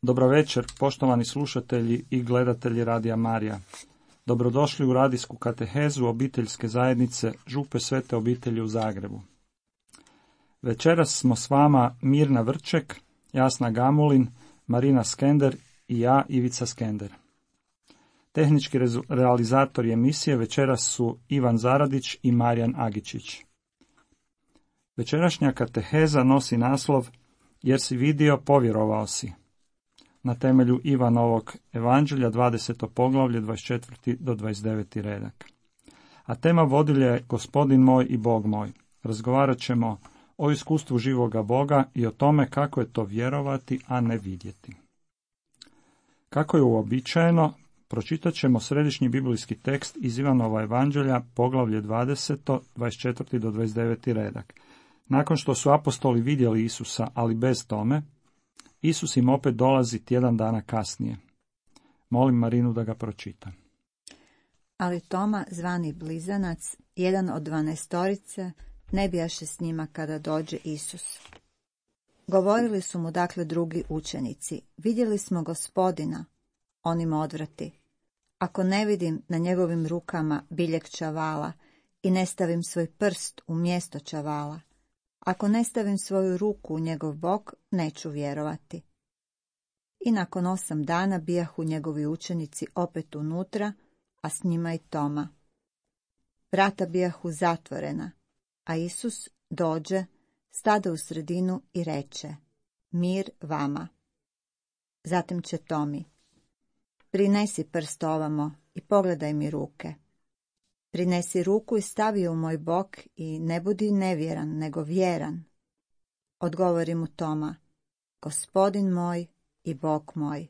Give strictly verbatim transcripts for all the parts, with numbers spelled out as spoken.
Dobro večer, poštovani slušatelji i gledatelji Radija Marija. Dobrodošli u radijsku katehezu obiteljske zajednice Župe Svete obitelji u Zagrebu. Večeras smo s vama Mirna Vrček, Jasna Gamulin, Marina Skender i ja, Ivica Skender. Tehnički realizatori emisije večeras su Ivan Zaradić i Marijan Agičić. Večerašnja kateheza nosi naslov Jer si vidio, povjerovao si, na temelju Ivanovog evanđelja, dvadeseto poglavlje, dvadeset četvrti do dvadeset deveti redak. A tema vodilja je Gospodin moj i Bog moj. Razgovarat ćemo o iskustvu živoga Boga i o tome kako je to vjerovati, a ne vidjeti. Kako je uobičajeno, pročitat ćemo središnji biblijski tekst iz Ivanova evanđelja, poglavlje dvadeseto, dvadeset četvrti do dvadeset deveti redak. Nakon što su apostoli vidjeli Isusa, ali bez Tome, Isus im opet dolazi tjedan dana kasnije. Molim Marinu da ga pročita. Ali Toma, zvani Blizanac, jedan od dvanaestorice, ne bijaše s njima kada dođe Isus. Govorili su mu dakle drugi učenici, vidjeli smo Gospodina. On im odvrati, ako ne vidim na njegovim rukama biljeg čavala i ne stavim svoj prst u mjesto čavala, ako ne stavim svoju ruku u njegov bok, neću vjerovati. I nakon osam dana bijahu njegovi učenici opet unutra, a s njima i Toma. Vrata bijahu zatvorena, a Isus dođe, stade u sredinu i reče, mir vama. Zatim će Tomi, prinesi prst ovamo i pogledaj mi ruke. Prinesi ruku i stavi u moj bok i ne budi nevjeran, nego vjeran. Odgovori mu Toma: Gospodin moj i Bog moj.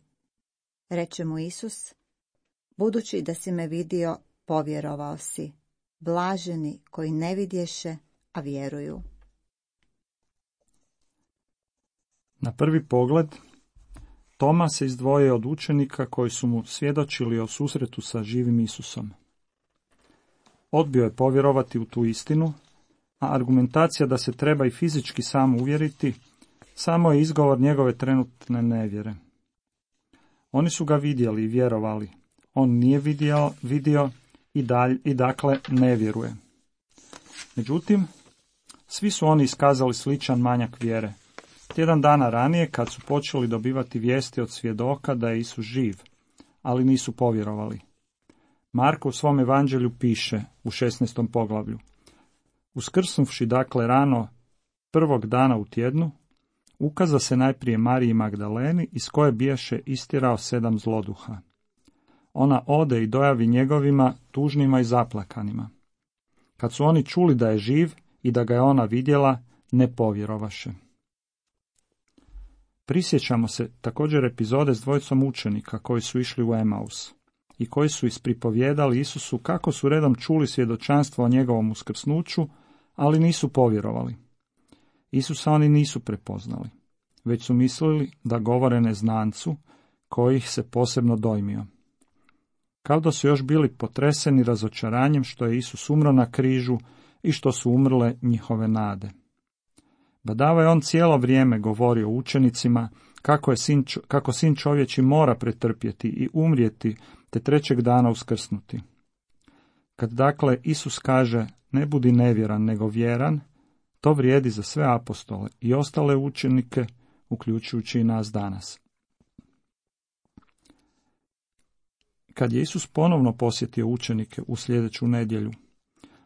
Reče mu Isus: Budući da si me vidio, povjerovao si. Blaženi koji ne vidješe, a vjeruju. Na prvi pogled, Toma se izdvojio od učenika koji su mu svjedočili o susretu sa živim Isusom. Odbio je povjerovati u tu istinu, a argumentacija da se treba i fizički sam uvjeriti samo je izgovor njegove trenutne nevjere. Oni su ga vidjeli i vjerovali. On nije vidio, vidio i, dalj, i dakle ne vjeruje. Međutim, svi su oni iskazali sličan manjak vjere. Tjedan dana ranije, kad su počeli dobivati vijesti od svjedoka da je Isus živ, ali nisu povjerovali. Marko u svom evanđelju piše u šesnaestom poglavlju: Uskrsnuvši dakle rano prvog dana u tjednu, ukaza se najprije Mariji Magdaleni, iz koje bijaše istjerao sedam zloduha. Ona ode i dojavi njegovima, tužnima i zaplakanima. Kad su oni čuli da je živ i da ga je ona vidjela, ne povjerovaše. Prisjećamo se također epizode s dvojicom učenika koji su išli u Emaus i koji su ispripovjedali Isusu kako su redom čuli svjedočanstvo o njegovom uskrsnuću, ali nisu povjerovali. Isusa oni nisu prepoznali, već su mislili da govore neznancu koji ih se posebno dojmio. Kao da su još bili potreseni razočaranjem što je Isus umro na križu i što su umrle njihove nade. Badava je on cijelo vrijeme govorio učenicima kako, je sin, kako sin čovječi mora pretrpjeti i umrijeti te trećeg dana uskrsnuti. Kad dakle Isus kaže ne budi nevjeran nego vjeran, to vrijedi za sve apostole i ostale učenike, uključujući i nas danas. Kad je Isus ponovno posjetio učenike u sljedeću nedjelju,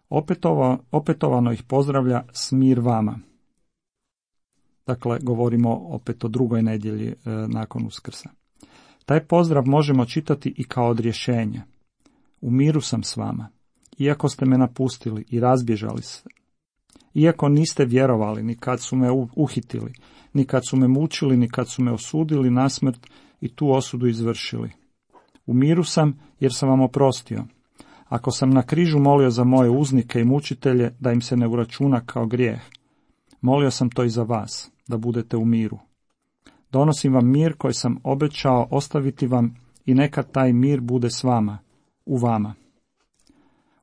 opetovano, opetovano ih pozdravlja s mir vama. Dakle, govorimo opet o drugoj nedjelji e, nakon Uskrsa. Taj pozdrav možemo čitati i kao odrješenje. U miru sam s vama, iako ste me napustili i razbježali se. Iako niste vjerovali ni kad su me uhitili, ni kad su me mučili, ni kad su me osudili na smrt i tu osudu izvršili. U miru sam jer sam vam oprostio. Ako sam na križu molio za moje uznike i mučitelje da im se ne uračuna kao grijeh, molio sam to i za vas, da budete u miru. Donosim vam mir koji sam obećao ostaviti vam i neka taj mir bude s vama, u vama.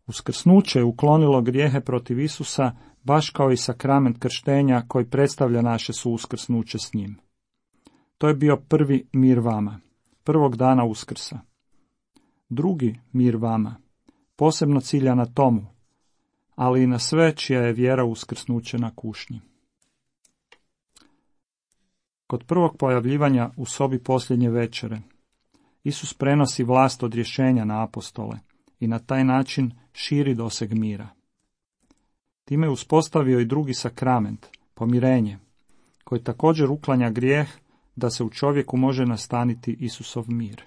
Uskrsnuće je uklonilo grijehe protiv Isusa, baš kao i sakrament krštenja koji predstavlja naše suuskrsnuće s njim. To je bio prvi mir vama, prvog dana Uskrsa. Drugi mir vama, posebno cilja na tomu, ali i na sve čija je vjera uskrsnuće na kušnji. Kod prvog pojavljivanja u sobi posljednje večere, Isus prenosi vlast odrješenja na apostole i na taj način širi doseg mira. Time je uspostavio i drugi sakrament, pomirenje, koji također uklanja grijeh da se u čovjeku može nastaniti Isusov mir.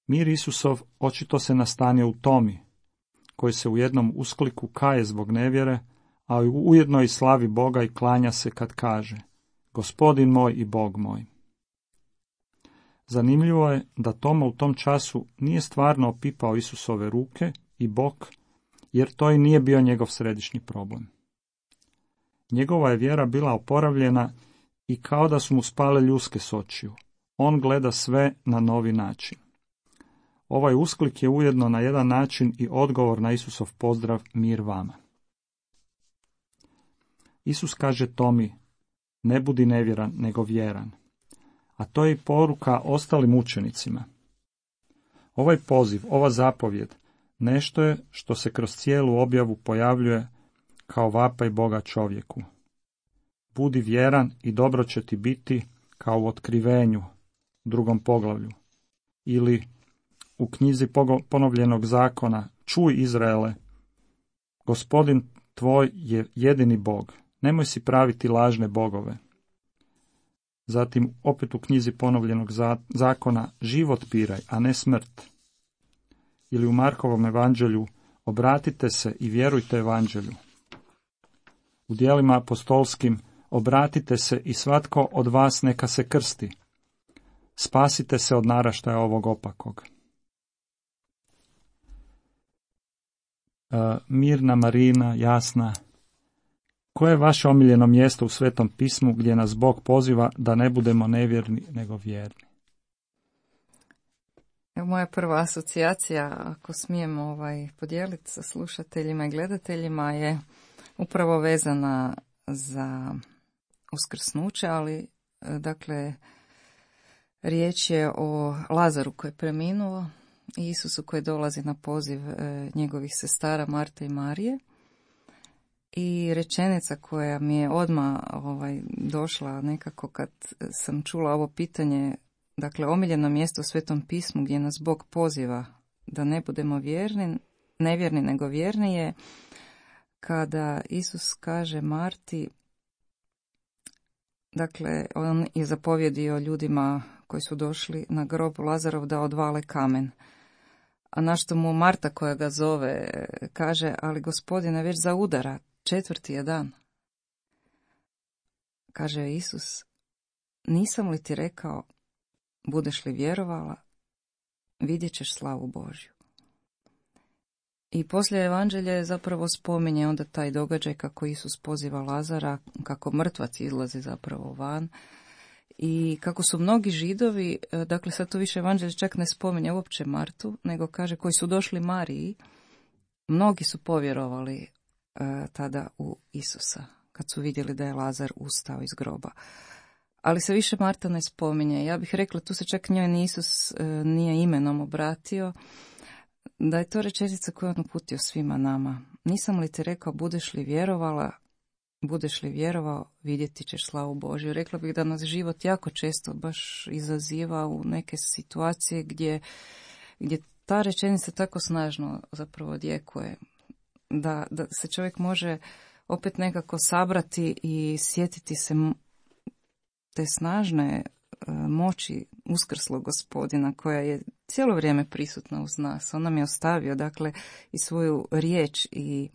Mir Isusov očito se nastanio u Tomi, koji se u jednom uskliku kaje zbog nevjere, a ujedno i slavi Boga i klanja se kad kaže: Gospodin moj i Bog moj. Zanimljivo je da Toma u tom času nije stvarno opipao Isusove ruke i bok, jer to i nije bio njegov središnji problem. Njegova je vjera bila oporavljena i kao da su mu spale ljuske s očiju. On gleda sve na novi način. Ovaj usklik je ujedno na jedan način i odgovor na Isusov pozdrav mir vama. Isus kaže Tomi, ne budi nevjeran, nego vjeran. A to je i poruka ostalim učenicima. Ovaj poziv, ova zapovjed, nešto je što se kroz cijelu objavu pojavljuje kao vapaj Boga čovjeku. Budi vjeran i dobro će ti biti kao u otkrivenju, drugom poglavlju. Ili u knjizi ponovljenog zakona, čuj Izraele, Gospodin tvoj je jedini Bog, nemoj si praviti lažne bogove. Zatim opet u knjizi ponovljenog zakona, život piraj, a ne smrt. Ili u Markovom evanđelju, obratite se i vjerujte evanđelju. U djelima apostolskim obratite se i svatko od vas neka se krsti. Spasite se od naraštaja ovog opakog. E, mirna Marina, jasna, koje je vaše omiljeno mjesto u Svetom pismu gdje nas Bog poziva da ne budemo nevjerni nego vjerni? Evo, moja prva asocijacija, ako smijem ovaj, podijeliti sa slušateljima i gledateljima, je upravo vezana za uskrsnuće, ali dakle riječ je o Lazaru koji je preminuo i Isusu koji dolazi na poziv e, njegovih sestara Marte i Marije. I rečenica koja mi je odmah ovaj, došla nekako kad sam čula ovo pitanje, dakle omiljeno mjesto u Svetom pismu gdje nas Bog poziva da ne budemo vjerni, nevjerni nego vjerni, je kada Isus kaže Marti, dakle on je zapovjedio ljudima koji su došli na grob Lazarov da odvale kamen. A na što mu Marta koja ga zove kaže, ali Gospodine, već zaudara, četvrti je dan. Kaže Isus, nisam li ti rekao, budeš li vjerovala, vidjet ćeš slavu Božju. I poslije evanđelje zapravo spominje onda taj događaj kako Isus poziva Lazara, kako mrtvac izlazi zapravo van i kako su mnogi Židovi, dakle sad to više evanđelje čak ne spominje uopće Martu, nego kaže koji su došli Mariji, mnogi su povjerovali e, tada u Isusa, kad su vidjeli da je Lazar ustao iz groba. Ali se više Marta ne spominje. Ja bih rekla, tu se čak njoj ni Isus e, nije imenom obratio, da je to rečenica koju on uputio svima nama. Nisam li ti rekao, budeš li vjerovala, budeš li vjerovao, vidjeti ćeš slavu Božju. Rekla bih da nas život jako često baš izaziva u neke situacije gdje, gdje ta rečenica tako snažno zapravo odjekuje. Da, da se čovjek može opet nekako sabrati i sjetiti se te snažne moći uskrslog Gospodina koja je cijelo vrijeme prisutna uz nas. On nam je ostavio dakle i svoju riječ i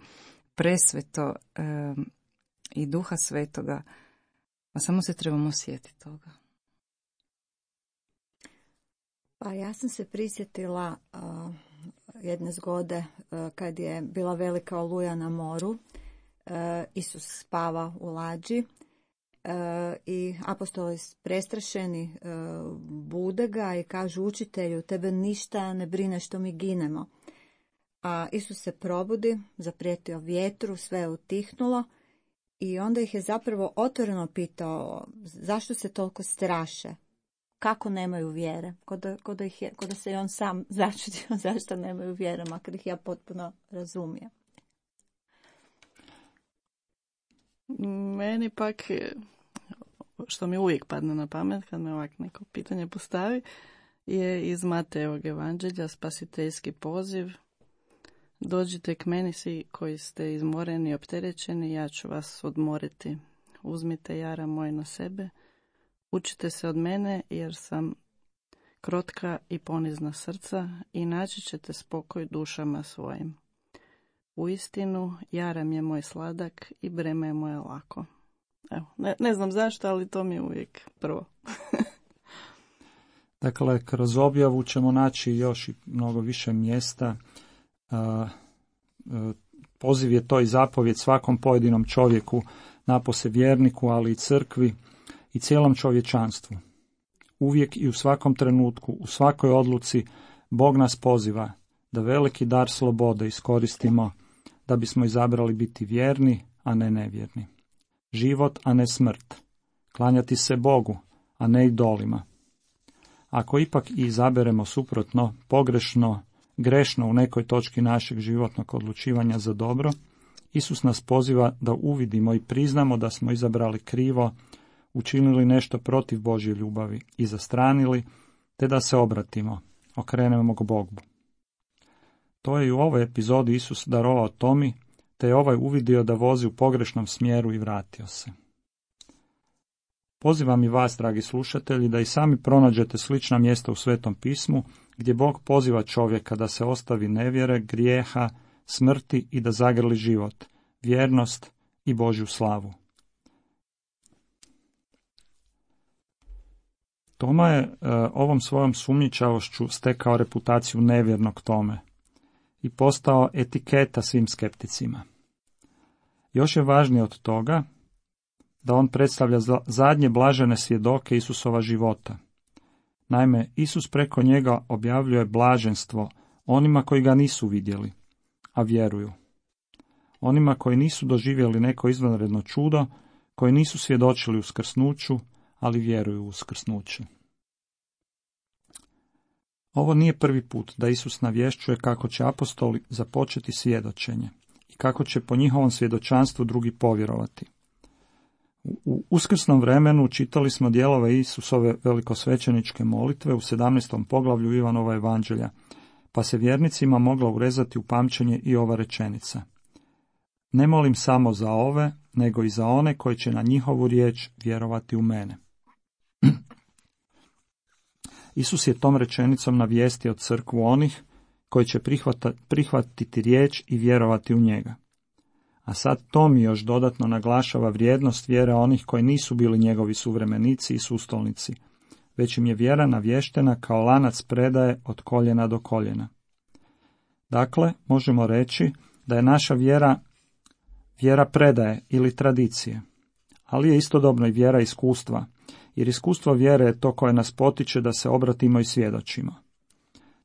presveto e, i Duha Svetoga, a samo se trebamo sjetiti toga. Pa ja sam se prisjetila uh, jedne zgode uh, kad je bila velika oluja na moru. Uh, Isus spava u lađi. Uh, i apostoli prestrašeni uh, bude ga i kažu, učitelju, tebe ništa ne brine što mi ginemo. A Isus se probudi, zaprijetio vjetru, sve je utihnulo i onda ih je zapravo otvoreno pitao zašto se toliko straše, kako nemaju vjere, ko da, ko da, ih je, ko da se i on sam začudio zašto nemaju vjere, makar ih ja potpuno razumijem. Meni pak, što mi uvijek padne na pamet kad me ovak neko pitanje postavi, je iz Matejevog evanđelja spasiteljski poziv. Dođite k meni svi koji ste izmoreni i opterećeni, ja ću vas odmoriti. Uzmite jara moj na sebe, učite se od mene jer sam krotka i ponizna srca i naći ćete spokoj dušama svojim. Uistinu, jaram je moj sladak i breme je moje lako. Evo, ne, ne znam zašto, ali to mi je uvijek prvo. Dakle, kroz objavu ćemo naći još i mnogo više mjesta. Poziv je to i zapovjed svakom pojedinom čovjeku, napose vjerniku, ali i crkvi i cijelom čovječanstvu. Uvijek i u svakom trenutku, u svakoj odluci, Bog nas poziva da veliki dar slobode iskoristimo da bismo izabrali biti vjerni, a ne nevjerni. Život, a ne smrt. Klanjati se Bogu, a ne idolima. Ako ipak i izaberemo suprotno, pogrešno, grešno u nekoj točki našeg životnog odlučivanja za dobro, Isus nas poziva da uvidimo i priznamo da smo izabrali krivo, učinili nešto protiv Božje ljubavi i zastranili, te da se obratimo, okrenemo k Bogu. To je i u ovoj epizodi Isus darovao Tomi, te je ovaj uvidio da vozi u pogrešnom smjeru i vratio se. Pozivam i vas, dragi slušatelji, da i sami pronađete slična mjesta u Svetom pismu, gdje Bog poziva čovjeka da se ostavi nevjere, grijeha, smrti i da zagrli život, vjernost i Božju slavu. Toma je e, ovom svojom sumnjičavošću stekao reputaciju nevjernog Tome i postao etiketa svim skepticima. Još je važnije od toga da on predstavlja zadnje blažene svjedoke Isusova života. Naime, Isus preko njega objavljuje blaženstvo onima koji ga nisu vidjeli, a vjeruju. Onima koji nisu doživjeli neko izvanredno čudo, koji nisu svjedočili uskrsnuću, ali vjeruju u uskrsnuće. Ovo nije prvi put da Isus navješćuje kako će apostoli započeti svjedočenje i kako će po njihovom svjedočanstvu drugi povjerovati. U uskrsnom vremenu čitali smo dijelove Isusove velikosvećeničke molitve u sedamnaestom poglavlju Ivanova evanđelja, pa se vjernicima mogla urezati u pamćenje i ova rečenica. Ne molim samo za ove, nego i za one koji će na njihovu riječ vjerovati u mene. Isus je tom rečenicom navijestio crkvu onih koji će prihvata, prihvatiti riječ i vjerovati u njega. A sad Tom još dodatno naglašava vrijednost vjere onih koji nisu bili njegovi suvremenici i sustolnici, već im je vjera navještena kao lanac predaje od koljena do koljena. Dakle, možemo reći da je naša vjera vjera predaje ili tradicije, ali je istodobno i vjera iskustva, jer iskustvo vjere je to koje nas potiče da se obratimo i svjedočimo.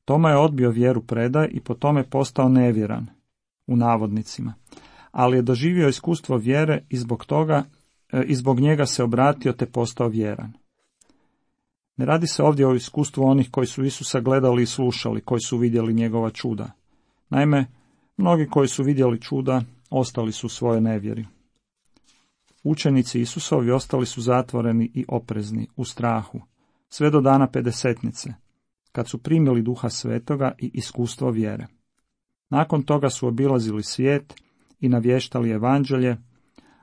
Toma je odbio vjeru predaje i po tome postao nevjeran, u navodnicima, ali je doživio iskustvo vjere i zbog toga, i zbog njega se obratio te postao vjeran. Ne radi se ovdje o iskustvu onih koji su Isusa gledali i slušali, koji su vidjeli njegova čuda. Naime, mnogi koji su vidjeli čuda ostali su u svojoj nevjeri. Učenici Isusovi ostali su zatvoreni i oprezni, u strahu, sve do dana pedesetnice, kad su primili Duha Svetoga i iskustvo vjere. Nakon toga su obilazili svijet i navještali evanđelje,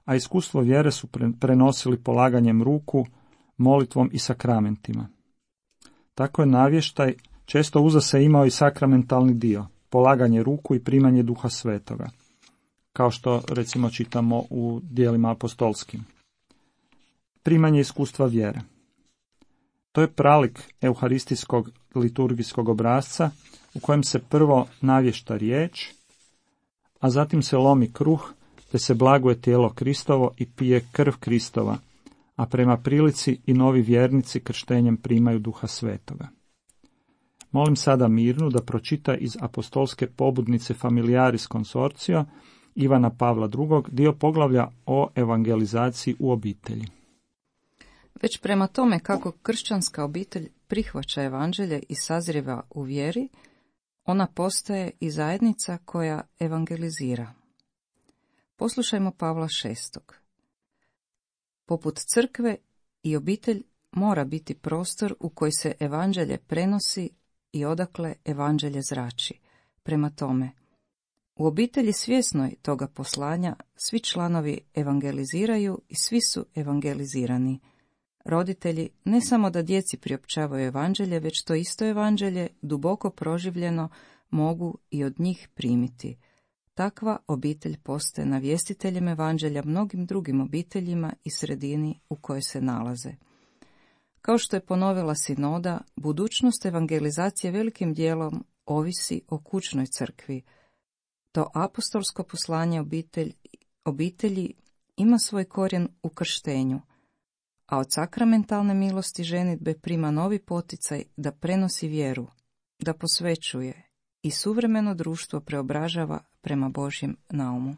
a iskustvo vjere su prenosili polaganjem ruku, molitvom i sakramentima. Tako je navještaj često uza se imao i sakramentalni dio, polaganje ruku i primanje Duha Svetoga, kao što recimo čitamo u dijelima apostolskim. Primanje iskustva vjere. To je pralik euharistijskog liturgijskog obrasca u kojem se prvo navješta riječ, a zatim se lomi kruh, te se blaguje tijelo Kristovo i pije krv Kristova, a prema prilici i novi vjernici krštenjem primaju Duha Svetoga. Molim sada Mirnu da pročita iz apostolske pobudnice Familiaris Consortio Ivana Pavla drugog. dio poglavlja o evangelizaciji u obitelji. Već prema tome kako kršćanska obitelj prihvaća evanđelje i sazrijeva u vjeri, ona postaje i zajednica koja evangelizira. Poslušajmo Pavla šestog. Poput crkve i obitelj mora biti prostor u koji se evanđelje prenosi i odakle evanđelje zrači. Prema tome, u obitelji svjesnoj toga poslanja svi članovi evangeliziraju i svi su evangelizirani. Roditelji ne samo da djeci priopćavaju evanđelje, već to isto evanđelje, duboko proživljeno, mogu i od njih primiti. Takva obitelj postaje navjestiteljem evanđelja mnogim drugim obiteljima i sredini u kojoj se nalaze. Kao što je ponovila sinoda, budućnost evangelizacije velikim dijelom ovisi o kućnoj crkvi. To apostolsko poslanje obitelj, obitelji ima svoj korijen u krštenju, a od sakramentalne milosti ženidbe prima novi poticaj da prenosi vjeru, da posvećuje i suvremeno društvo preobražava prema Božjem naumu.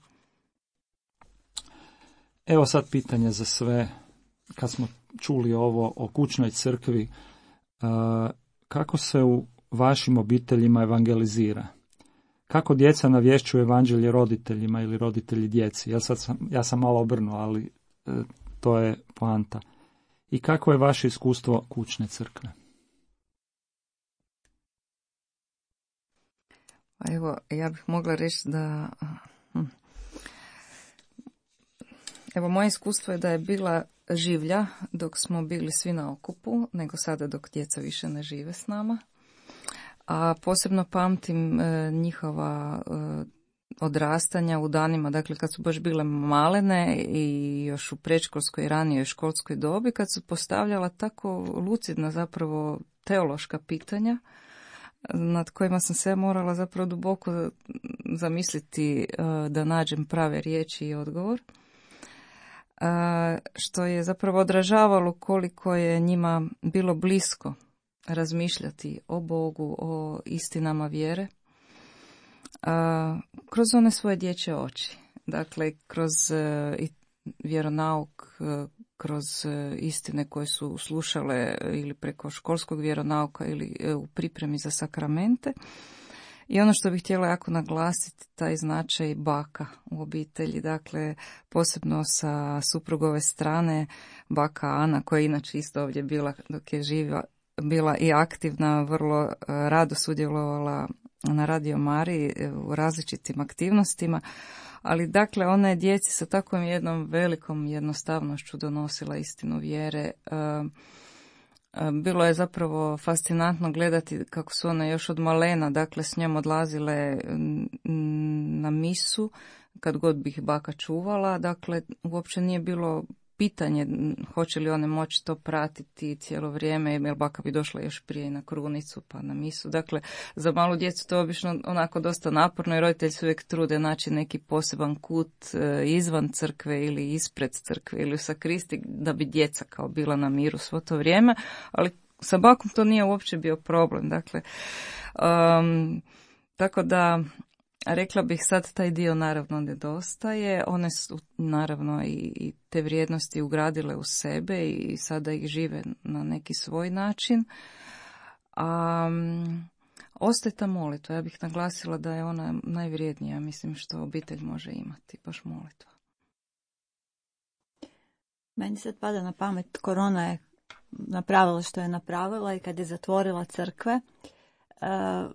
Evo sad pitanje za sve, kad smo čuli ovo o kućnoj crkvi, kako se u vašim obiteljima evangelizira? Kako djeca navješćuju evanđelje roditeljima ili roditelji djeci? Ja, sad sam, ja sam malo obrnuo, ali e, to je poanta. I kako je vaše iskustvo kućne crkve? Evo, ja bih mogla reći da... Hm. Evo, moje iskustvo je da je bila življa dok smo bili svi na okupu, nego sada dok djeca više ne žive s nama. A posebno pamtim e, njihova e, odrastanja u danima, dakle kad su baš bile malene i još u predškolskoj i ranijoj školskoj dobi, kad su postavljala tako lucidna zapravo teološka pitanja nad kojima sam se morala zapravo duboko zamisliti da nađem prave riječi i odgovor, što je zapravo odražavalo koliko je njima bilo blisko razmišljati o Bogu, o istinama vjere, kroz one svoje dječje oči. Dakle, kroz vjeronauk, kroz istine koje su slušale ili preko školskog vjeronauka ili u pripremi za sakramente. I ono što bih htjela jako naglasiti, taj značaj baka u obitelji, dakle posebno sa suprugove strane, baka Ana, koja je inače isto ovdje bila dok je živa, bila i aktivna, vrlo rado sudjelovala na Radio Mariji u različitim aktivnostima, ali dakle ona je djeci sa takvom jednom velikom jednostavnošću donosila istinu vjere. Bilo je zapravo fascinantno gledati kako su one još od malena, dakle s njom odlazile na misu kad god bi ih baka čuvala, dakle uopće nije bilo pitanje hoće li one moći to pratiti cijelo vrijeme, jer baka bi došla još prije i na krunicu pa na misu. Dakle, za malu djecu to je obično onako dosta naporno i roditelji se uvijek trude naći neki poseban kut izvan crkve ili ispred crkve ili u sakristi da bi djeca kao bila na miru svo to vrijeme, ali sa bakom to nije uopće bio problem. Dakle, um, tako da rekla bih sad taj dio naravno nedostaje, one su naravno i, i te vrijednosti ugradile u sebe i sada ih žive na neki svoj način. A um, ostaje ta molitva, ja bih naglasila da je ona najvrijednija, mislim što obitelj može imati, baš molitva. Meni sad pada na pamet, korona je napravila što je napravila i kad je zatvorila crkve, uh,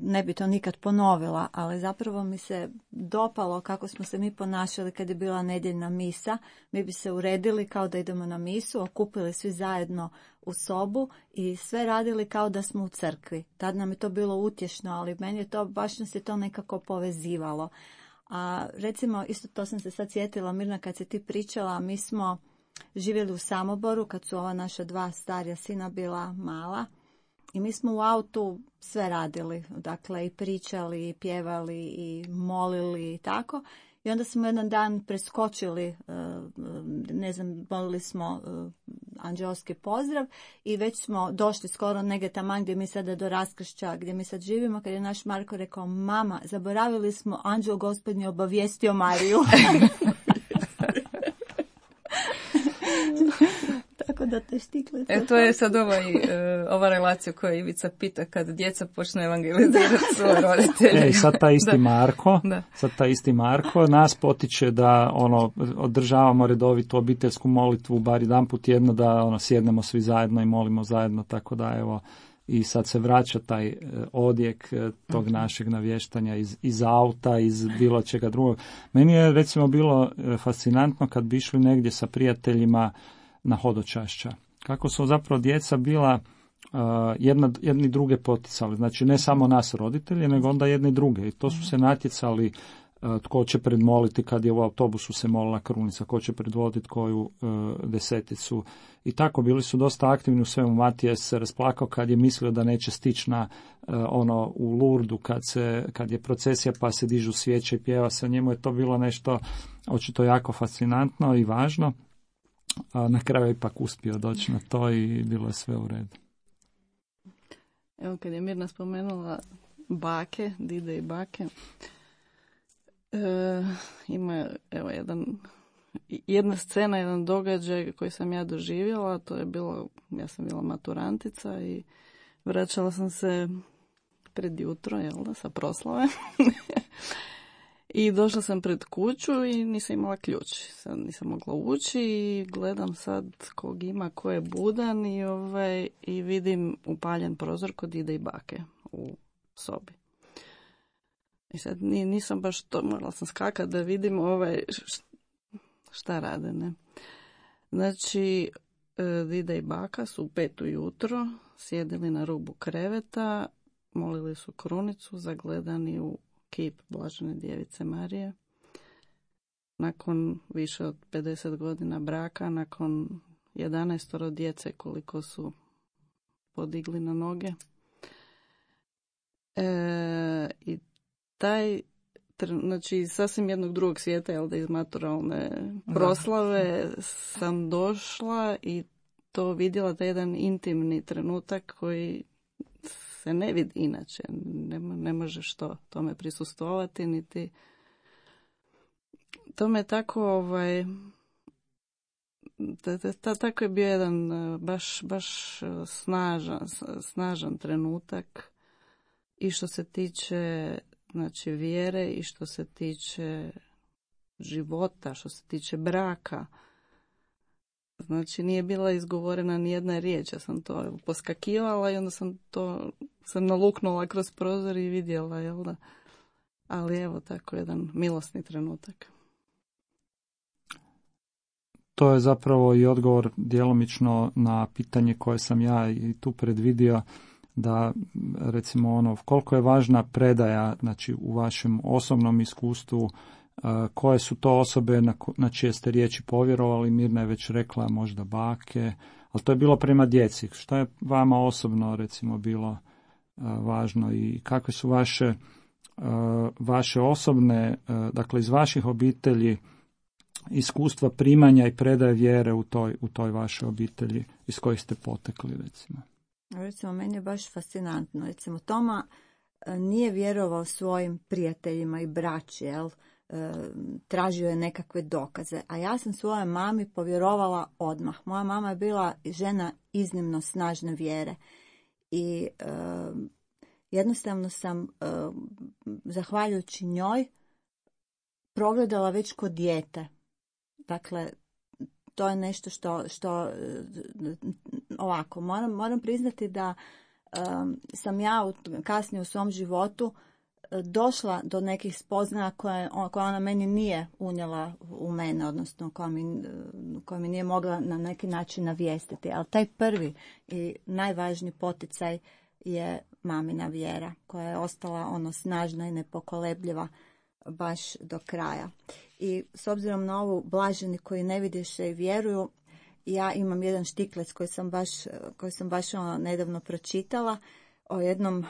ne bi to nikad ponovila, ali zapravo mi se dopalo kako smo se mi ponašali kad je bila nedjeljna misa. Mi bi se uredili kao da idemo na misu, okupili svi zajedno u sobu i sve radili kao da smo u crkvi. Tad nam je to bilo utješno, ali meni je to, baš nas je to nekako povezivalo. A recimo, isto to sam se sad sjetila, Mirna, kad si ti pričala, mi smo živjeli u Samoboru kad su ova naša dva starija sina bila mala. I mi smo u autu sve radili, dakle i pričali, i pjevali, i molili i tako. I onda smo jedan dan preskočili, ne znam, molili smo anđeoski pozdrav i već smo došli skoro negdje taman gdje mi sada do raskršća, gdje mi sad živimo, kad je naš Marko rekao, mama, zaboravili smo, anđeo gospodnji obavijestio Mariju. Tako da te štikle. E, to je sad ovaj, ova relacija koju Ivica pita kad djeca počnu evangelizirati svoje roditelje. E, sad taj isti da. Marko, da. sad taj isti Marko nas potiče da ono održavamo redovitu obiteljsku molitvu bar jedanput tjedno, da ono sjednemo svi zajedno i molimo zajedno, tako da evo i sad se vraća taj odjek tog našeg navještanja iz, iz auta, iz bilo čega drugog. Meni je recimo bilo fascinantno kad bi išli negdje sa prijateljima na hodočašća. Kako su zapravo djeca bila uh, jedna, jedni druge poticali. Znači ne samo nas roditelji, nego onda jedni druge. I to su se natjecali uh, tko će predmoliti kad je u autobusu se molila krunica, ko će predvoditi koju uh, deseticu. I tako bili su dosta aktivni u svemu. Matija se rasplakao kad je mislio da neće stići na uh, ono u Lurdu kad, se, kad je procesija pa se dižu svijeće i pjeva se. Njemu je to bilo nešto očito jako fascinantno i važno. A na kraju je ipak uspio doći na to i bilo je sve u redu. Evo kad je Mirna spomenula bake, dide i bake, e, ima evo jedan, jedna scena, jedan događaj koji sam ja doživjela, to je bilo, ja sam bila maturantica i vraćala sam se pred jutro, jel da, sa proslave. I došla sam pred kuću i nisam imala ključ. Sad nisam mogla ući i gledam sad kog ima, ko je budan i, ovaj, i vidim upaljen prozor kod dide i bake u sobi. I sad nisam baš to, morala sam skakati da vidim ovaj, šta rade, ne. Znači, dida i baka su u pet ujutro sjedili na rubu kreveta, molili su krunicu, zagledani u kip Blažene djevice Marije. Nakon više od pedeset godina braka, nakon jedanaestoro djece koliko su podigli na noge. E, I taj, znači sasvim jednog drugog svijeta, jel da, iz maturalne proslave sam došla i to vidjela, taj jedan intimni trenutak koji se ne vidi inače. Ne, ne možeš to tome prisustvovati, niti tome tako, ovaj, ta, ta, ta, tako je bio jedan baš, baš snažan, snažan trenutak i što se tiče, znači, vjere i što se tiče života, što se tiče braka. Znači, nije bila izgovorena ni jedna riječ, ja sam to poskakivala i onda sam to sam naluknula kroz prozor i vidjela, jel da? Ali evo, tako jedan milosni trenutak. To je zapravo i odgovor djelomično na pitanje koje sam ja i tu predvidio, da recimo ono, koliko je važna predaja, znači u vašem osobnom iskustvu, koje su to osobe na, na čije ste riječi povjerovali. Mirna je već rekla možda bake, ali to je bilo prema djeci. Što je vama osobno recimo bilo važno i kakve su vaše, vaše osobne, dakle iz vaših obitelji, iskustva primanja i predaje vjere u toj, u toj vašoj obitelji iz kojih ste potekli, recimo? Recimo, meni je baš fascinantno. Recimo, Toma nije vjerovao svojim prijateljima i braći, jel? E, tražio je nekakve dokaze. A ja sam svojoj mami povjerovala odmah. Moja mama je bila žena iznimno snažne vjere. I e, jednostavno sam, e, zahvaljujući njoj, progledala već kod dijete. Dakle, to je nešto što, što ovako, moram, moram priznati da um, sam ja u, kasnije u svom životu došla do nekih spoznaja koje, koje ona meni nije unijela u mene, odnosno koja mi, koja mi nije mogla na neki način navijestiti. Ali taj prvi i najvažniji poticaj je mamina vjera, koja je ostala ono snažna i nepokolebljiva baš do kraja. I s obzirom na ovu blaženi koji ne vidješe i vjeruju, ja imam jedan štiklec koji sam baš, koji sam baš ono nedavno pročitala o jednom uh,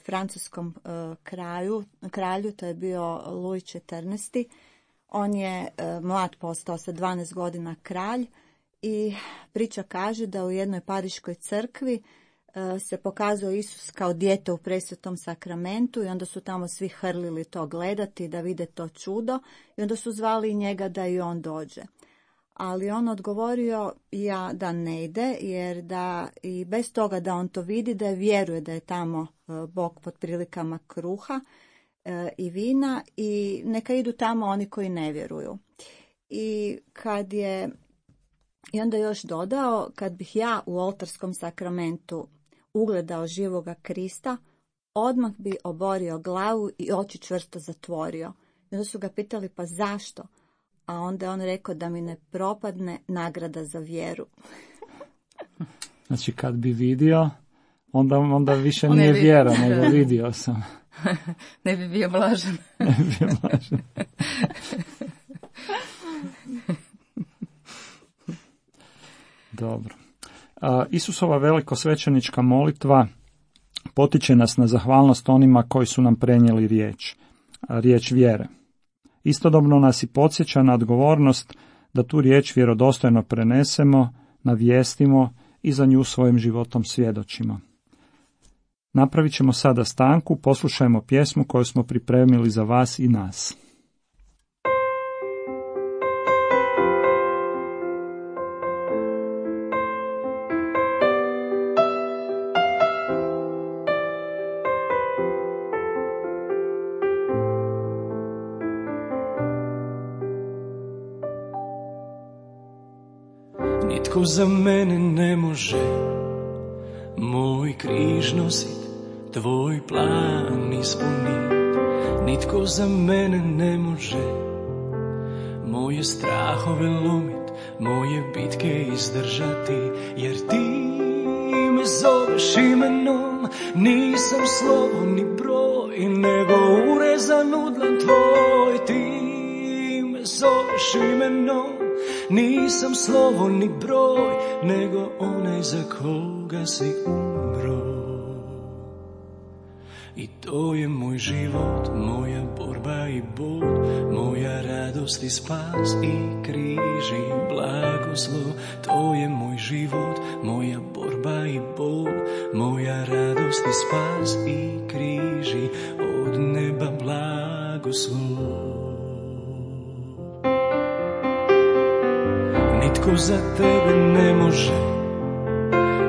francuskom uh, kraju, kralju, to je bio Louis četrnaesti. On je uh, mlad postao sa dvanaest godina kralj i priča kaže da u jednoj pariškoj crkvi se pokazao Isus kao dijete u presvetom sakramentu i onda su tamo svi hrlili to gledati, da vide to čudo i onda su zvali njega da i on dođe. Ali on odgovorio ja da ne ide, jer da i bez toga da on to vidi, da je vjeruje da je tamo Bog pod prilikama kruha i vina i neka idu tamo oni koji ne vjeruju. I kad je i onda još dodao, kad bih ja u oltarskom sakramentu ugledao živoga Krista, odmah bi oborio glavu i oči čvrsto zatvorio. I onda su ga pitali, pa zašto? A onda je on rekao da mi ne propadne nagrada za vjeru. Znači kad bi vidio, onda, onda više on nije bi... vjera, nego vidio sam. Ne bi bio blažen. Ne bi bio blažen. Dobro. Isusova velikosvećenička molitva potiče nas na zahvalnost onima koji su nam prenijeli riječ, riječ vjere. Istodobno nas i podsjeća na odgovornost da tu riječ vjerodostojno prenesemo, navijestimo i za nju svojim životom svjedočimo. Napravit ćemo sada stanku, poslušajmo pjesmu koju smo pripremili za vas i nas. Nitko za mene ne može moj križ nosit, tvoj plan ispunit. Nitko za mene ne može moje strahove lomit, moje bitke izdržati. Jer ti me zoveš imenom, nisam slovo ni broj, nego urez zanudlan tvoj, ti me zoveš imenom. Nisam slovo ni broj, nego onaj za koga si umro. I to je moj život, moja borba i bol, moja radost i spas i križ i blagoslov. To je moj život, moja borba i bol, moja radost i spas i križ i od neba blagoslov. Nitko za tebe ne može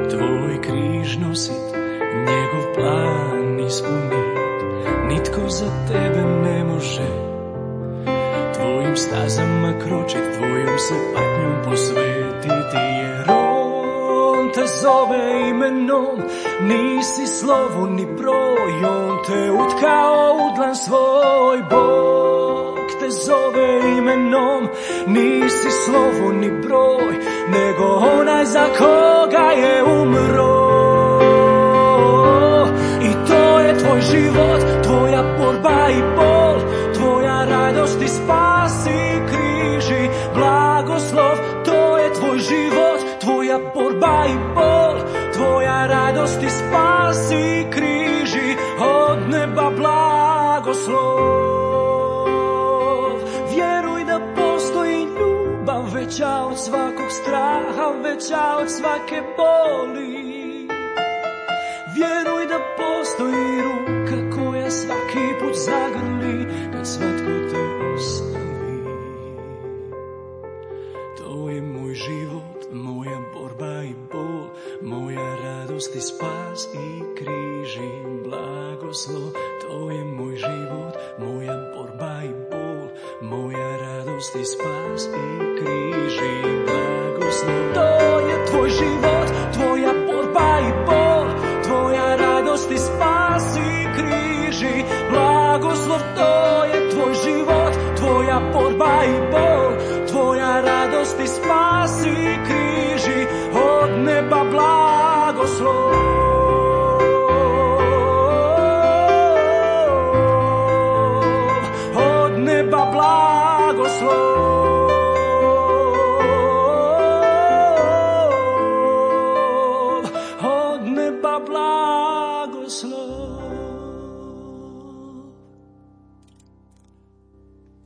tvoj križ nosit, njegov plan ispunit. Nitko za tebe ne može tvojim stazama kročit, tvojom se patnjom posvetiti, jer on te zove imenom. Nisi slovo ni broj, on te utkao u dlan svoj. Bog te zove imenom, nisi slovo ni broj, nego onaj za koga je umro. I to je tvoj život, tvoja borba i bol, tvoja radost i spas i križ i blagoslov. To je tvoj život, tvoja borba i bol, tvoja radost i spas i križ i od neba blagoslov. Vjeruj da postoji ljubav veća od svakog straha, veća od svake boli. Vjeruj da postoji ruka koja svaki put zagrli kad svatko te ostavi. To je moj život, moja borba i bol, moja radost i spas i križ i blagoslov. To je moj život, moja borba i bol, moja radost i spas i križ i blagoslov. To je tvoj život, tvoja borba i bol, tvoja radost i spas i križ i blagoslov. To je tvoj život, tvoja borba i bol, tvoja radost i spas i križ i od neba blagoslov. Od neba blagoslov.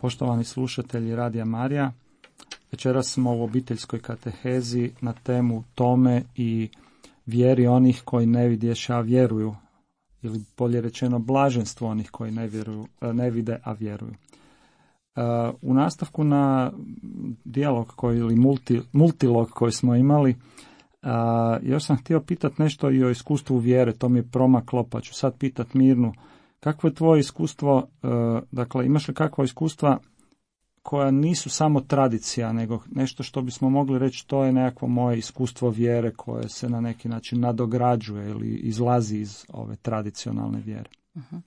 Poštovani slušatelji Radija Marija, večeras smo u obiteljskoj katehezi na temu tome i vjeri onih koji ne vidješe, a vjeruju, ili bolje rečeno blaženstvo onih koji ne, vjeruju, ne vide, a vjeruju. U nastavku na dijalog koji, ili multi, multilog koji smo imali, još sam htio pitati nešto i o iskustvu vjere, to mi je promaklo, pa ću sad pitati Mirnu. Kakvo je tvoje iskustvo, dakle imaš li kakva iskustva koja nisu samo tradicija, nego nešto što bismo mogli reći to je nekakvo moje iskustvo vjere koje se na neki način nadograđuje ili izlazi iz ove tradicionalne vjere? Uh-huh.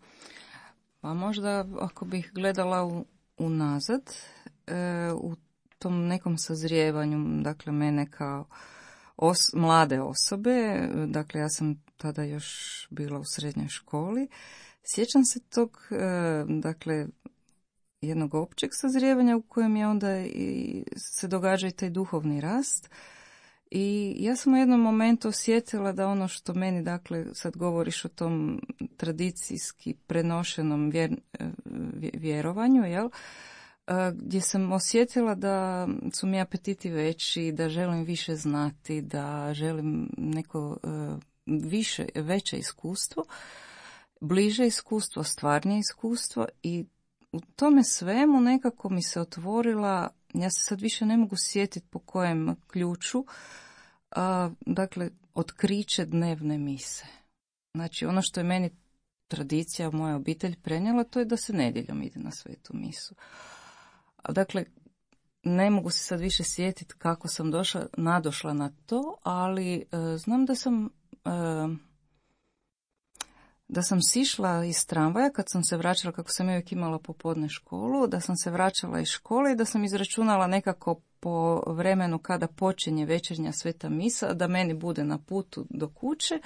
Pa možda ako bih gledala u, unazad, e, u tom nekom sazrijevanju, dakle mene kao os, mlade osobe, dakle ja sam tada još bila u srednjoj školi, sjećam se tog, dakle, jednog općeg sazrijevanja u kojem je onda i se događa i taj duhovni rast. I ja sam u jednom momentu osjetila da ono što meni, dakle, sad govoriš o tom tradicijski prenošenom vjer, vjerovanju, jel? Gdje sam osjetila da su mi apetiti veći, da želim više znati, da želim neko više, veće iskustvo, bliže iskustvo, stvarnije iskustvo i u tome svemu nekako mi se otvorila, ja se sad više ne mogu sjetiti po kojem ključu, a, dakle, otkriće dnevne mise. Znači, ono što je meni tradicija, moja obitelj prenijela, to je da se nedjeljom ide na svetu misu. A, dakle, ne mogu se sad više sjetiti kako sam došla, nadošla na to, ali e, znam da sam... E, da sam sišla iz tramvaja kad sam se vraćala, kako sam uvijek imala popodne školu, da sam se vraćala iz škole i da sam izračunala nekako po vremenu kada počinje večernja sveta misa, da meni bude na putu do kuće,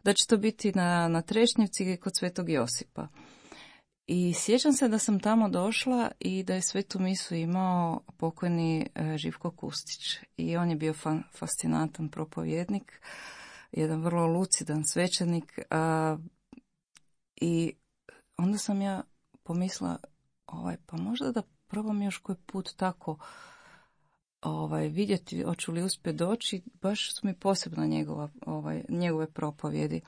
da će to biti na, na Trešnjevci kod Svetog Josipa. I sjećam se da sam tamo došla i da je svetu misu imao pokojni Živko Kustić. I on je bio fa- fascinantan propovjednik, jedan vrlo lucidan svećenik. A, I onda sam ja pomislila, ovaj, pa možda da probam još koji put tako ovaj, vidjeti, hoću li uspjeti doći. Baš su mi posebno njegova, ovaj, njegove propovjedi.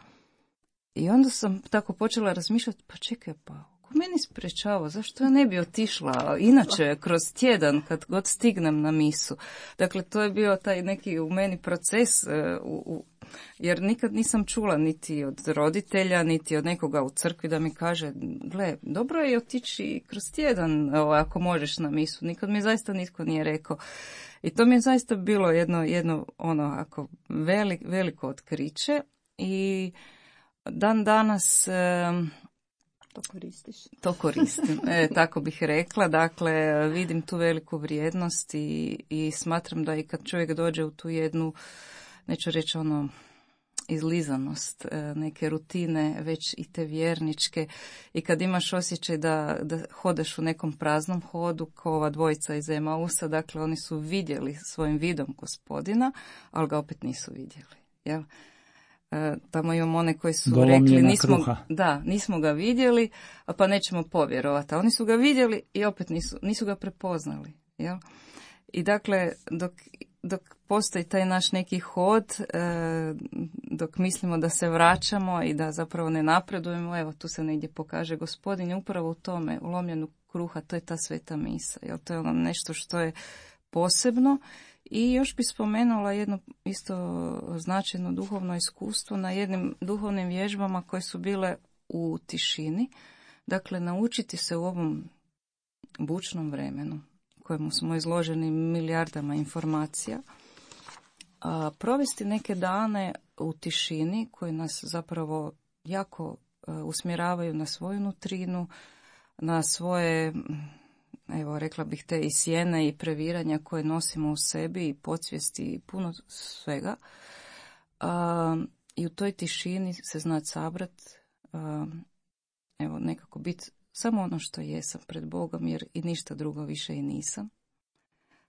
I onda sam tako počela razmišljati, pa čekaj, pa ko meni sprečava, zašto ja ne bi otišla inače kroz tjedan kad god stignem na misu. Dakle, to je bio taj neki u meni proces, u, u, jer nikad nisam čula niti od roditelja, niti od nekoga u crkvi da mi kaže, gle, dobro je otići kroz tjedan ako možeš na misu. Nikad mi zaista nitko nije rekao. I to mi je zaista bilo jedno, jedno ono, ako velik, veliko otkriće i dan danas to koristiš. To koristim, e, tako bih rekla. Dakle, vidim tu veliku vrijednost i, i smatram da i kad čovjek dođe u tu jednu, neću reći ono, izlizanost, neke rutine, već i te vjerničke, i kad imaš osjećaj da, da hodaš u nekom praznom hodu, kao ova dvojica iz Emausa, dakle oni su vidjeli svojim vidom Gospodina, ali ga opet nisu vidjeli, jel? E, tamo imamo one koji su Dolomljena rekli nismo, kruha. da, nismo ga vidjeli, pa nećemo povjerovati. A oni su ga vidjeli i opet nisu, nisu ga prepoznali. Jel? I dakle, dok, dok postoji taj naš neki hod, e, dok mislimo da se vraćamo i da zapravo ne napredujemo, evo tu se negdje pokaže Gospodin upravo u tome, u lomljenju kruha, to je ta sveta misa. Jel? To je ono nešto što je posebno. I još bi spomenula jedno isto značajno duhovno iskustvo na jednim duhovnim vježbama koje su bile u tišini. Dakle, naučiti se u ovom bučnom vremenu, kojemu smo izloženi milijardama informacija, a, provesti neke dane u tišini koji nas zapravo jako a, usmjeravaju na svoju nutrinu, na svoje, evo rekla bih, te i sjene i previranja koje nosimo u sebi i podsvijesti i puno svega. A, I u toj tišini se znati sabrat, a, evo nekako biti samo ono što jesam pred Bogom, jer i ništa drugo više i nisam.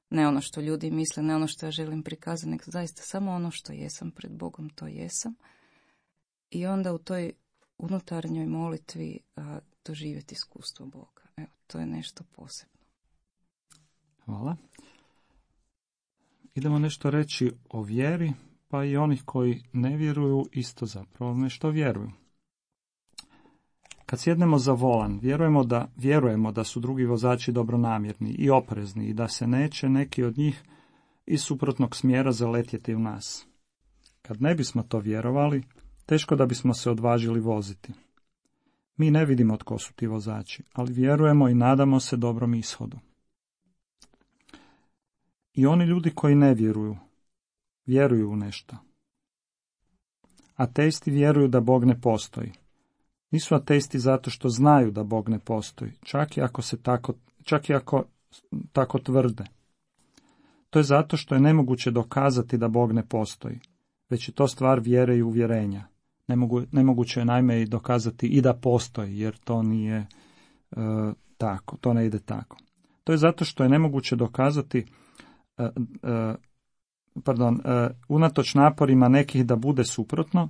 Ne ono što ljudi misle, ne ono što ja želim prikazati, nego zaista samo ono što jesam pred Bogom, to jesam. I onda u toj unutarnjoj molitvi a, doživjeti iskustvo Boga. Evo, to je nešto posebno. Hvala. Idemo nešto reći o vjeri, pa i onih koji ne vjeruju isto zapravo nešto vjeruju. Kad sjednemo za volan, vjerujemo da, vjerujemo da su drugi vozači dobronamjerni i oprezni i da se neće neki od njih iz suprotnog smjera zaletjeti u nas. Kad ne bismo to vjerovali, teško da bismo se odvažili voziti. Mi ne vidimo tko su ti vozači, ali vjerujemo i nadamo se dobrom ishodu. I oni ljudi koji ne vjeruju, vjeruju u nešto. Ateisti vjeruju da Bog ne postoji. Nisu ateisti zato što znaju da Bog ne postoji, čak i ako se tako, čak i ako tako tvrde. To je zato što je nemoguće dokazati da Bog ne postoji, već je to stvar vjere i uvjerenja. Nemogu, nemoguće je naime i dokazati i da postoji, jer to nije e, tako, to ne ide tako. To je zato što je nemoguće dokazati, e, e, pardon, e, unatoč naporima nekih da bude suprotno,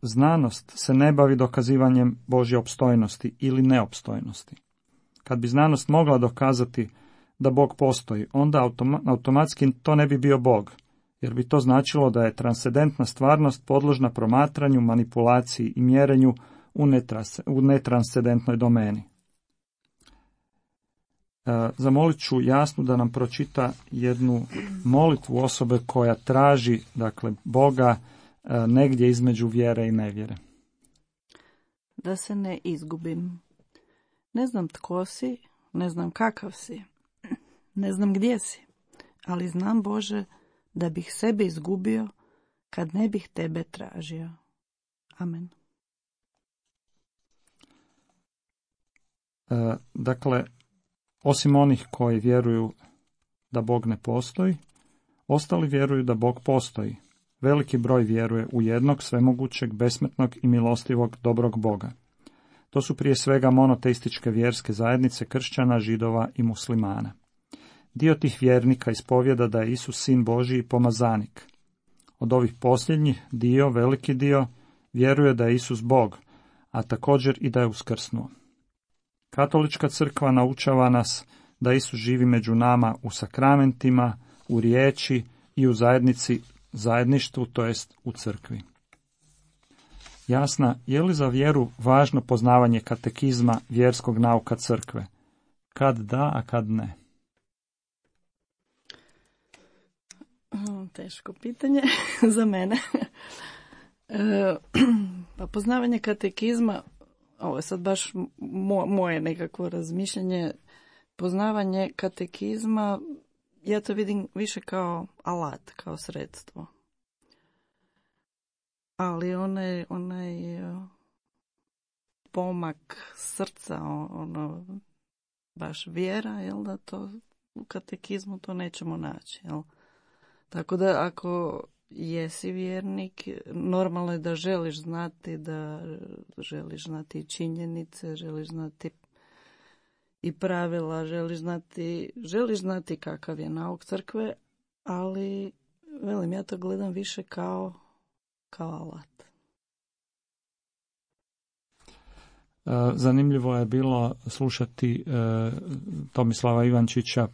znanost se ne bavi dokazivanjem Božje opstojnosti ili neopstojnosti. Kad bi znanost mogla dokazati da Bog postoji, onda automa, automatski to ne bi bio Bog, jer bi to značilo da je transcendentna stvarnost podložna promatranju, manipulaciji i mjerenju u, netrans, u netranscendentnoj domeni. E, zamolit ću Jasnu da nam pročita jednu molitvu osobe koja traži, dakle, Boga e, negdje između vjere i nevjere. Da se ne izgubim. Ne znam tko si, ne znam kakav si, ne znam gdje si, ali znam, Bože, da bih sebe izgubio kad ne bih tebe tražio. Amen. E, dakle, osim onih koji vjeruju da Bog ne postoji, ostali vjeruju da Bog postoji. Veliki broj vjeruje u jednog svemogućeg, besmrtnog i milostivog dobrog Boga. To su prije svega monoteističke vjerske zajednice kršćana, židova i muslimana. Dio tih vjernika ispovjeda da je Isus sin Božji i pomazanik. Od ovih posljednjih dio, veliki dio, vjeruje da je Isus Bog, a također i da je uskrsnuo. Katolička crkva naučava nas da Isus živi među nama u sakramentima, u riječi i u zajednici, zajedništvu, to jest u crkvi. Jasna, je li za vjeru važno poznavanje katekizma vjerskog nauka crkve? Kad da, a kad ne? Teško pitanje za mene. E, pa poznavanje katekizma, ovo je sad baš mo, moje nekakvo razmišljanje, poznavanje katekizma, ja to vidim više kao alat, kao sredstvo. Ali onaj, onaj pomak srca, ono, baš vjera, jel da to u katekizmu to nećemo naći, jel? Tako da ako jesi vjernik, normalno je da želiš znati, da želiš znati činjenice, želiš znati i pravila, želiš znati, želiš znati kakav je nauk crkve, ali velim, ja to gledam više kao, kao alat. Zanimljivo je bilo slušati Tomislava Ivančića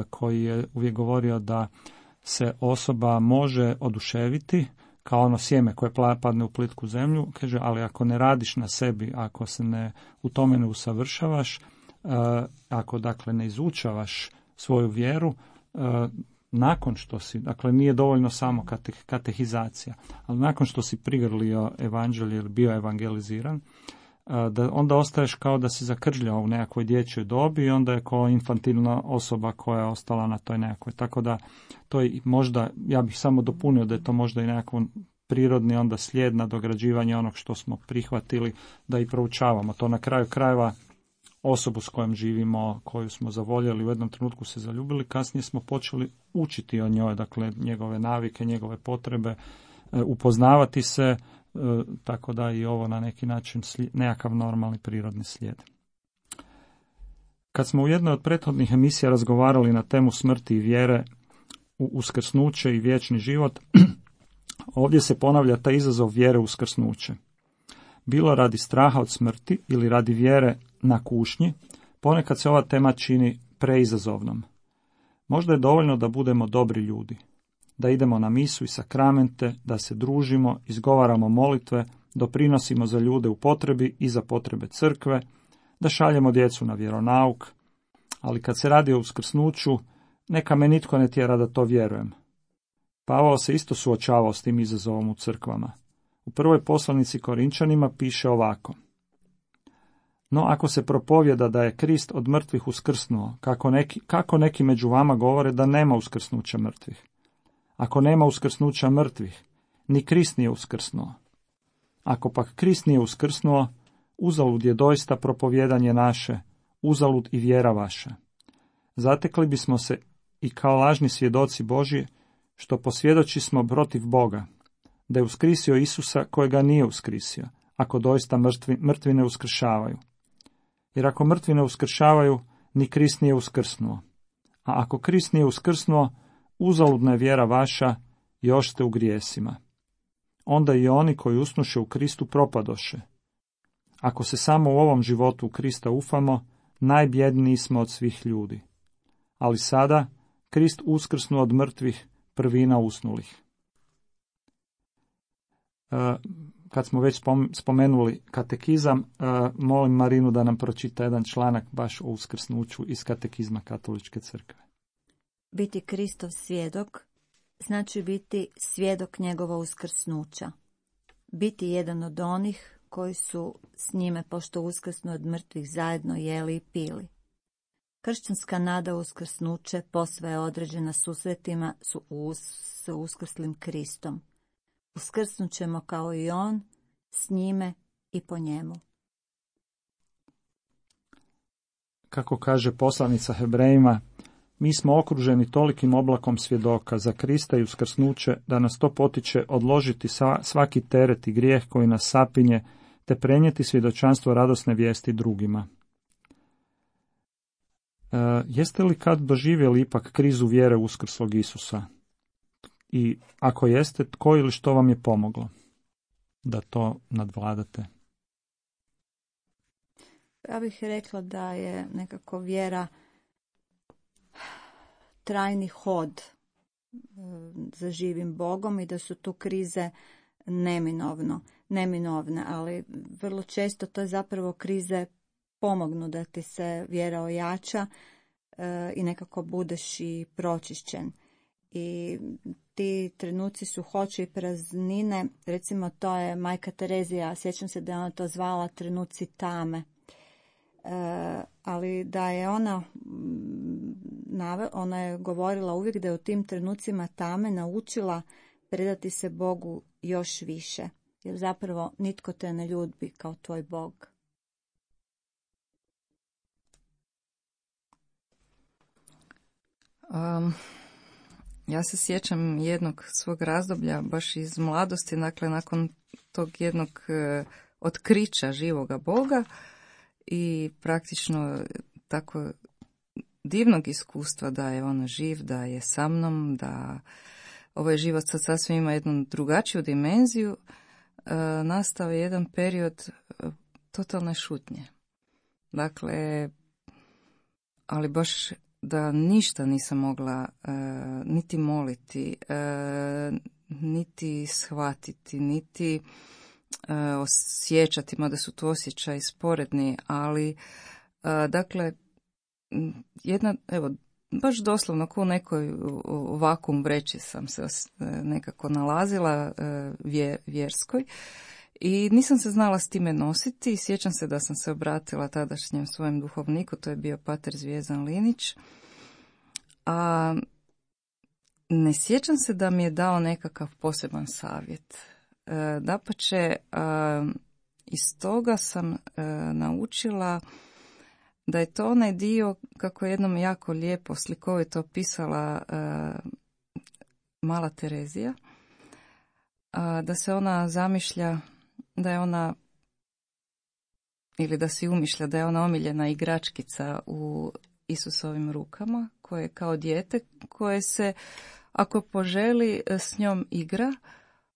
koji je uvijek govorio da se osoba može oduševiti kao ono sjeme koje padne u plitku zemlju, kaže, ali ako ne radiš na sebi, ako se ne u tome ne usavršavaš, ako dakle ne izučavaš svoju vjeru, nakon što si, dakle nije dovoljno samo kate, katehizacija, ali nakon što si prigrlio evanđelje ili bio evangeliziran, da onda ostaješ kao da si zakržljao u nekakvoj dječjoj dobi i onda je kao infantilna osoba koja je ostala na toj nekakvoj. Tako da to je možda, ja bih samo dopunio da je to možda i nekako prirodni onda slijed nadograđivanja onog što smo prihvatili da i proučavamo. To na kraju krajeva osobu s kojom živimo, koju smo zavoljeli, u jednom trenutku se zaljubili, kasnije smo počeli učiti o njoj, dakle njegove navike, njegove potrebe, upoznavati se, tako da i ovo na neki način nekakav normalni prirodni slijed. Kad smo u jednoj od prethodnih emisija razgovarali na temu smrti i vjere u uskrsnuće i vječni život, ovdje se ponavlja taj izazov vjere u uskrsnuće. Bilo radi straha od smrti ili radi vjere na kušnji, ponekad se ova tema čini preizazovnom. Možda je dovoljno da budemo dobri ljudi, da idemo na misu i sakramente, da se družimo, izgovaramo molitve, doprinosimo za ljude u potrebi i za potrebe crkve, da šaljemo djecu na vjeronauk, ali kad se radi o uskrsnuću, neka me nitko ne tjera da to vjerujem. Pavao se isto suočavao s tim izazovom u crkvama. U prvoj poslanici Korinčanima piše ovako: no ako se propovjeda da je Krist od mrtvih uskrsnuo, kako neki, kako neki među vama govore da nema uskrsnuća mrtvih? Ako nema uskrsnuća mrtvih, ni Krist nije uskrsnuo. Ako pak Krist nije uskrsnuo, uzalud je doista propovjedanje naše, uzalud i vjera vaša. Zatekli bismo se i kao lažni svjedoci Božji, što posvjedoči smo protiv Boga, da je uskrisio Isusa kojega nije uskrisio, ako doista mrtvi, mrtvi ne uskršavaju. Jer ako mrtvi ne uskršavaju, ni Krist nije uskrsnuo. A ako Krist nije uskrsnuo, uzaludna je vjera vaša, još ste u grijesima. Onda i oni koji usnuše u Kristu propadoše. Ako se samo u ovom životu u Krista ufamo, najbjedniji smo od svih ljudi. Ali sada, Krist uskrsnuo od mrtvih, prvina usnulih. E, kad smo već spomenuli katekizam, e, molim Marinu da nam pročita jedan članak baš o uskrsnuću iz katekizma Katoličke crkve. Biti Kristov svjedok znači biti svjedok njegova uskrsnuća. Biti jedan od onih koji su s njime, pošto uskrsnu od mrtvih, zajedno jeli i pili. Kršćanska nada uskrsnuće posve je određena susretima su us, s uskrslim Kristom. Uskrsnut ćemo kao i on, s njime i po njemu. Kako kaže poslanica Hebrejima, mi smo okruženi tolikim oblakom svjedoka za Krista i uskrsnuće da nas to potiče odložiti svaki teret i grijeh koji nas sapinje, te prenijeti svjedočanstvo radosne vijesti drugima. E, jeste li kad doživjeli ipak krizu vjere uskrslog Isusa? I ako jeste, tko ili što vam je pomoglo da to nadvladate? Ja bih rekla da je nekako vjera trajni hod za živim Bogom i da su tu krize neminovno, neminovne, ali vrlo često to je zapravo krize pomognu da ti se vjera ojača e, i nekako budeš i pročišćen. I ti trenuci su hoće i praznine, recimo to je majka Terezija, sjećam se da je ona to zvala trenuci tame. E, ali da je ona, ona je govorila uvijek da je u tim trenucima tame naučila predati se Bogu još više, jer zapravo nitko te ne ljubi kao tvoj Bog. Um, ja se sjećam jednog svog razdoblja, baš iz mladosti, dakle nakon tog jednog uh, otkrića živoga Boga i praktično tako divnog iskustva da je on živ, da je sa mnom, da ovaj život sad sasvim ima jednu drugačiju dimenziju, uh, nastao je jedan period uh, totalne šutnje. Dakle, ali baš da ništa nisam mogla uh, niti moliti, uh, niti shvatiti, niti uh, osjećati, mada su to osjećaji sporedni, ali uh, dakle, jedna, evo, baš doslovno kao u nekoj vakuum vreći sam se nekako nalazila uh, vje, vjerskoj i nisam se znala s time nositi. Sjećam se da sam se obratila tadašnjem svojem duhovniku, to je bio pater Zvijezdan Linić, a ne sjećam se da mi je dao nekakav poseban savjet. E, dapače, a, iz toga sam e, naučila da je to onaj dio, kako je jednom jako lijepo slikovito opisala e, mala Terezija, a, da se ona zamišlja da je ona, ili da si umišlja da je ona omiljena igračkica u Isusovim rukama, koje je kao dijete koje se, ako poželi, s njom igra,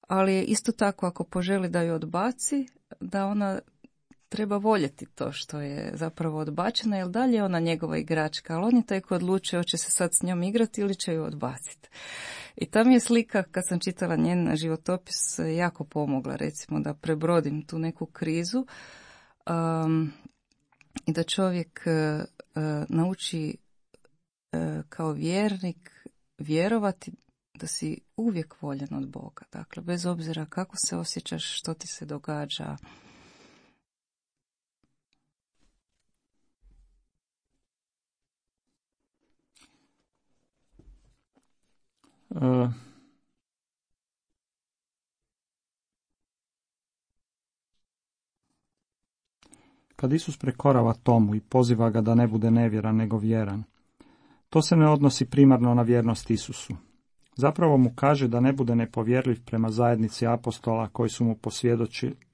ali isto tako ako poželi da ju odbaci, da ona treba voljeti to što je zapravo odbačena, jer dalje je ona njegova igračka, ali on je taj koji odlučuje hoće se sad s njom igrati ili će ju odbaciti. I ta mi je slika, kad sam čitala njen životopis, jako pomogla, recimo, da prebrodim tu neku krizu um, i da čovjek uh, nauči uh, kao vjernik vjerovati da si uvijek voljen od Boga. Dakle, bez obzira kako se osjećaš, što ti se događa. Uh, kad Isus prekorava Tomu i poziva ga da ne bude nevjeran nego vjeran, to se ne odnosi primarno na vjernost Isusu. Zapravo mu kaže da ne bude nepovjerljiv prema zajednici apostola koji su mu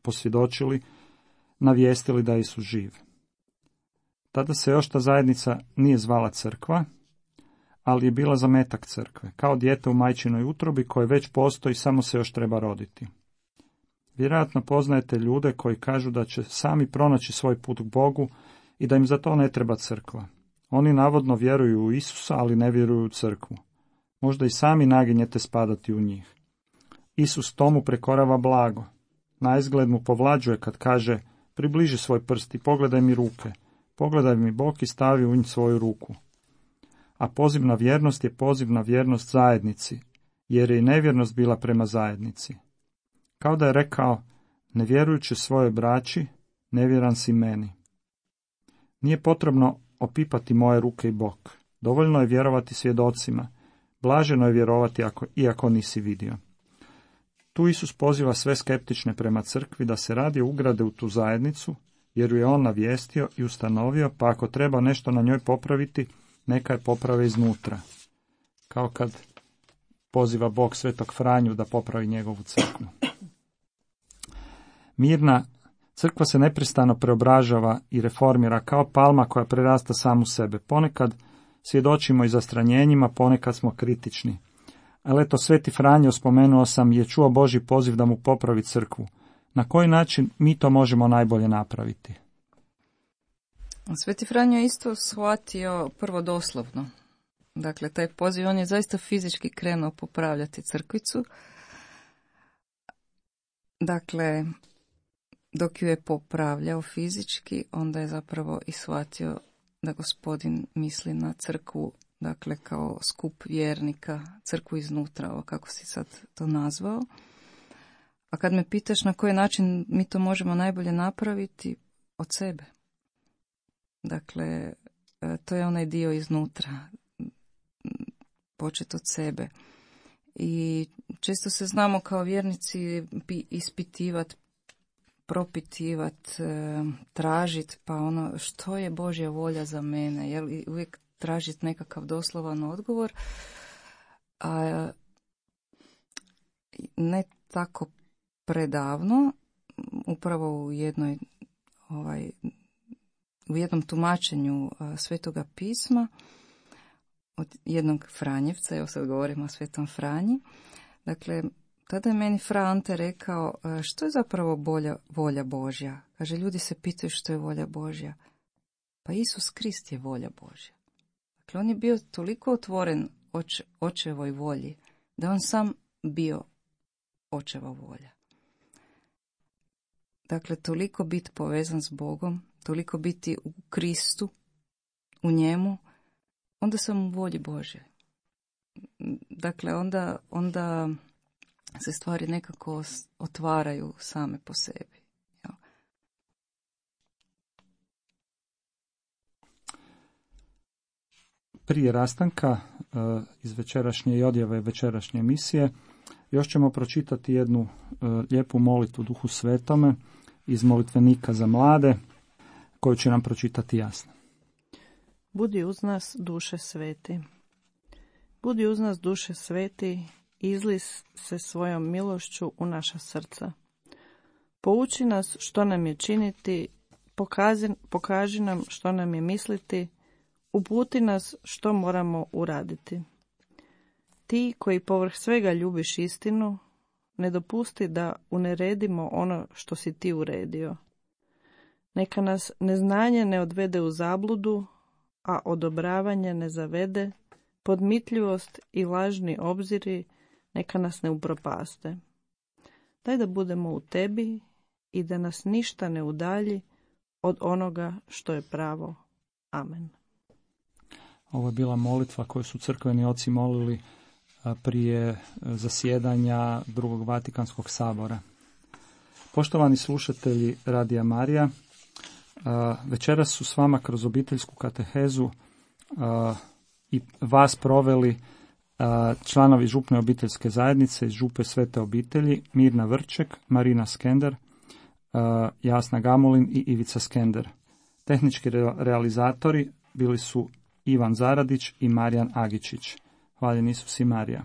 posvjedočili, navijestili da je Isus živ. Tada se još ta zajednica nije zvala crkva, ali je bila zametak crkve, kao dijete u majčinoj utrobi koje već postoji, samo se još treba roditi. Vjerojatno poznajete ljude koji kažu da će sami pronaći svoj put k Bogu i da im za to ne treba crkva. Oni navodno vjeruju u Isusa, ali ne vjeruju u crkvu. Možda i sami naginjete spadati u njih. Isus Tomu prekorava blago. Naizgled mu povlađuje kad kaže: približi svoj prst i pogledaj mi ruke, pogledaj mi bok i stavi u njih svoju ruku. A poziv na vjernost je poziv na vjernost zajednici, jer je i nevjernost bila prema zajednici. Kao da je rekao: ne vjerujući svojoj braći, nevjeran si meni. Nije potrebno opipati moje ruke i bok. Dovoljno je vjerovati svjedocima. Blaženo je vjerovati ako, iako nisi vidio. Tu Isus poziva sve skeptične prema crkvi da se radije ugrade u tu zajednicu, jer ju je on navijestio i ustanovio, pa ako treba nešto na njoj popraviti, neka je poprave iznutra. Kao kad poziva Bog Svetog Franju da popravi njegovu crkvu. Mirna Crkva se neprestano preobražava i reformira kao palma koja prerasta samu sebe. Ponekad svjedočimo i zastranjenjima, ponekad smo kritični. Ali eto, Sveti Franjo, spomenuo sam, je čuo Božji poziv da mu popravi crkvu. Na koji način mi to možemo najbolje napraviti? Sveti Franjo je isto shvatio prvo doslovno. Dakle, taj poziv, on je zaista fizički krenuo popravljati crkvicu. Dakle, dok ju je popravljao fizički, onda je zapravo i shvatio da Gospodin misli na crkvu, dakle kao skup vjernika, crkvu iznutra, ovo kako si sad to nazvao. A kad me pitaš na koji način mi to možemo najbolje napraviti, od sebe. Dakle, to je onaj dio iznutra, počet od sebe. I često se znamo kao vjernici ispitivati, propitivati, tražiti, pa ono što je Božja volja za mene, jel, i uvijek tražiti nekakav doslovan odgovor, a ne tako predavno, upravo u jednoj ovaj, u jednom tumačenju Svetoga pisma od jednog Franjevca, evo sad govorimo o Svetom Franji. Dakle, tada je meni Fra Ante rekao, što je zapravo bolja, volja Božja? Kaže, ljudi se pitaju što je volja Božja. Pa Isus Krist je volja Božja. Dakle, on je bio toliko otvoren oč, očevoj volji, da on sam bio očeva volja. Dakle, toliko biti povezan s Bogom, toliko biti u Kristu, u njemu, onda sam u volji Božje. Dakle, onda, onda se stvari nekako otvaraju same po sebi. Ja. Prije rastanka iz večerašnje i odjave večerašnje emisije još ćemo pročitati jednu lijepu molitvu Duhu Svetome iz molitvenika za mlade, koju će nam pročitati Jasna. Budi uz nas, duše sveti. Budi uz nas, duše sveti, izli se svojom milošću u naša srca. Pouči nas što nam je činiti, pokazi, pokaži nam što nam je misliti, uputi nas što moramo uraditi. Ti koji povrh svega ljubiš istinu, ne dopusti da uneredimo ono što si ti uredio. Neka nas neznanje ne odvede u zabludu, a odobravanje ne zavede, podmitljivost i lažni obziri neka nas ne upropaste. Daj da budemo u tebi i da nas ništa ne udalji od onoga što je pravo. Amen. Ovo je bila molitva koju su crkveni oci molili prije zasjedanja drugog Vatikanskog sabora. Poštovani slušatelji Radija Marija, večeras su s vama kroz obiteljsku katehezu i vas proveli članovi župne obiteljske zajednice iz župe Svete obitelji Mirna Vrček, Marina Skender, Jasna Gamulin i Ivica Skender. Tehnički realizatori bili su Ivan Zaradić i Marijan Agičić. Hvaljen Isus i Marija.